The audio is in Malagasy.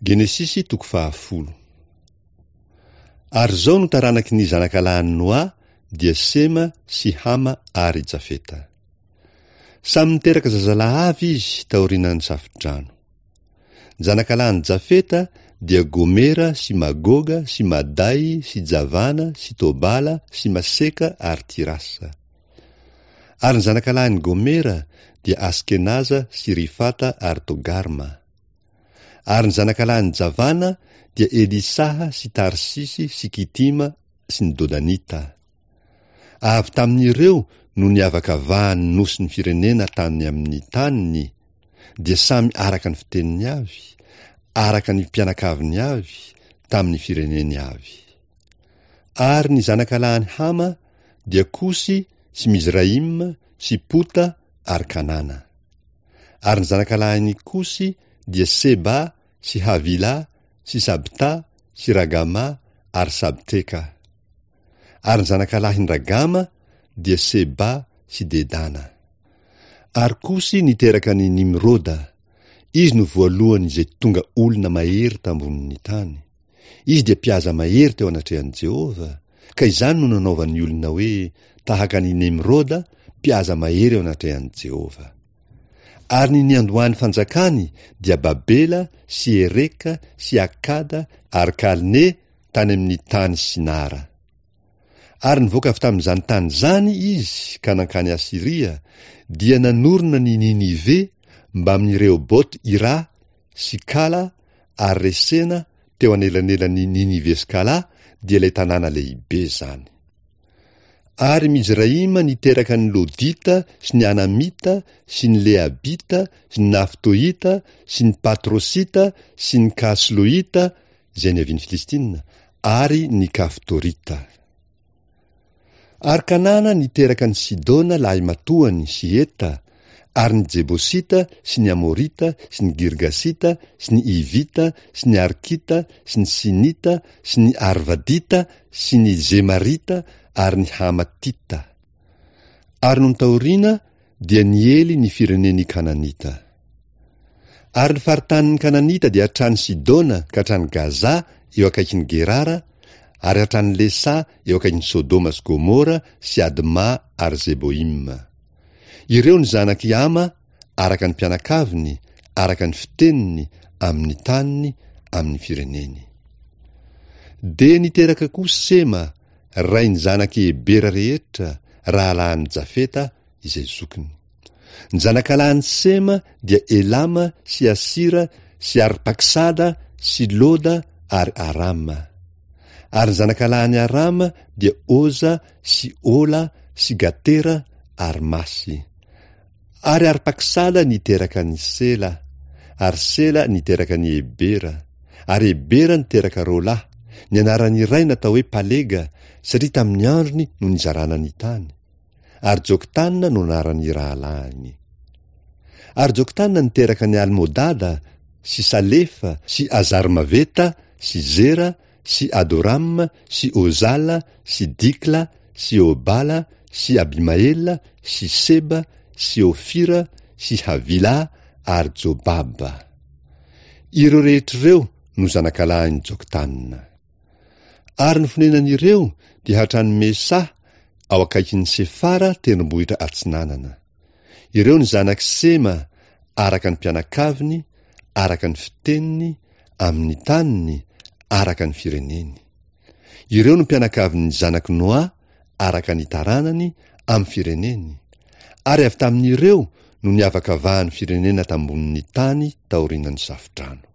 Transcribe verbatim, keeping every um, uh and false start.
Genesisy toko fahafolo. Ary izao no taranaky ny zanakalahin'i Noa dia Sema sy Hama ary Jafeta. Samy niteraka zazalahy avy izy taorian'ny Safodrano. Ny zanakalahin'i Jafeta dia Gomera sy Magoga sy Maday sy Javana sy Tobala sy Maseka ary Tirasa. Ary ny zanakalahin'i Gomera dia Askenaza sy Rifata ary Togarma. Ary ny zanakalahin'i Javana dia Elisaha sy Tarsisy sy Kitima sy ny Dodanita. Avy tamin'ireo no niavakavahan'ny nosin'ny firenena tany amin'ny taniny, dia samy araka ny fiteniny avy, araka ny mpianakaviny avy, tamin'ny fireneny avy. Ary ny zanakalahin'i Hama dia Kosy sy Mizraima sy Pota ary Kanana. Ary ny zanakalahin'i Kosy dia Seba sy Havila sy Sabta sy Ragama ary Sabteka. Ary ny zanakalahin'i Ragama dia Seba sy Dedana. Ary Kosy niteraka an'i Nimroda. Izy no voalohany izay tonga olona mahery tambonin'ny tany. Izy dia mpihaza mahery teo anatrehan'i Jehovah, ka izany no nanaovan'ny olona hoe tahaka an'i Nimroda, mpihaza mahery eo anatrehan'i Jehovah. Ary ny niandohan'ny fanjakany dia Babela sy Ereka sy Akada ary Kalne tany amin'ny tany Sinara. Ary nivoaka avy tamin'izany tany izany izy ka nankany Asyria, dia nanorina ny Ninive mbamin'i Rehobot-Ira sy Kala ary Resena teo anelanelan'i Ninive sy Kala, dia ilay tanàna lehibe izany. Ary Mizraima niteraka ny Lodita sy ny Anamita sy ny Lehabita sy ny Naftohita sy ny Patrosita sy ny Kasloita, izay niavian'ny Filistina, ary ny Kaftorita. Ary Kanana niteraka an'i Sidona lahimatoany sy Heta, ary ny Jebosita sy ny Amorita sy ny Girgasita sy ny Hivita sy ny Arkita sy ny Sinita sy ny Arvadita sy ny Zemarita ary ny Hamatita. Ary nony taoriana dia niely ny firenen'ny Kananita. Ary ny faritanin'ny Kananita dia hatrany Sidona ka hatrany Gaza eo akaikin'i Gerara, ary hatrany Lesa eo akaikin'i Sodoma sy Gomora sy Adma ary Zeboima. Ireo ny zanak'i Hama araka ny mpianakaviny, araka ny fiteniny, amin'ny taniny, amin'ny fireneny. Dia niteraka koa Sema, rain'ny zanak'i Hebera rehetra, rahalahin'i Jafeta izay zokiny. Ny zanakalahin'i Sema dia Elama sy Asira sy Arpaksada sy Loda ary Arama. Ary ny zanakalahin'i Arama dia Oza sy Ola sy Gatera ary Masy. Ary Arpaksada niteraka an'i Sela, ary Sela niteraka an'i Hebera, ary Hebera niteraka Rola, ny anaran'ny iray natao hoe Palega, satria tamin'ny androny no nizarana ny tany, ary Joktana no anaran'ny rahalahiny. Ary Joktana niteraka an'i Almodada sy Salefa sy Azarmaveta sy Zera sy Adorama sy Ozala sy Dikla sy Obala sy Abimaela sy Seba sy Ofira sy Havila ary Jobaba. Ireo rehetra ireo no zanakalahin'i Joktana. Ary ny fonenan'ireo dia hatrany Mesa ao akaikin'i Sefara tendrombohitra atsinanana. Ireo ny zanak'i Sema araka ny mpianakaviny, araka ny fiteniny, amin'ny taniny, araka ny fireneny. Ireo no mpianakavin'ny zanak'i Noa araka ny taranany, amin'ny fireneny. Ary avy tamin'ireo no niavakavahan'ny firenena tambonin'ny tany taorian'ny Safodrano.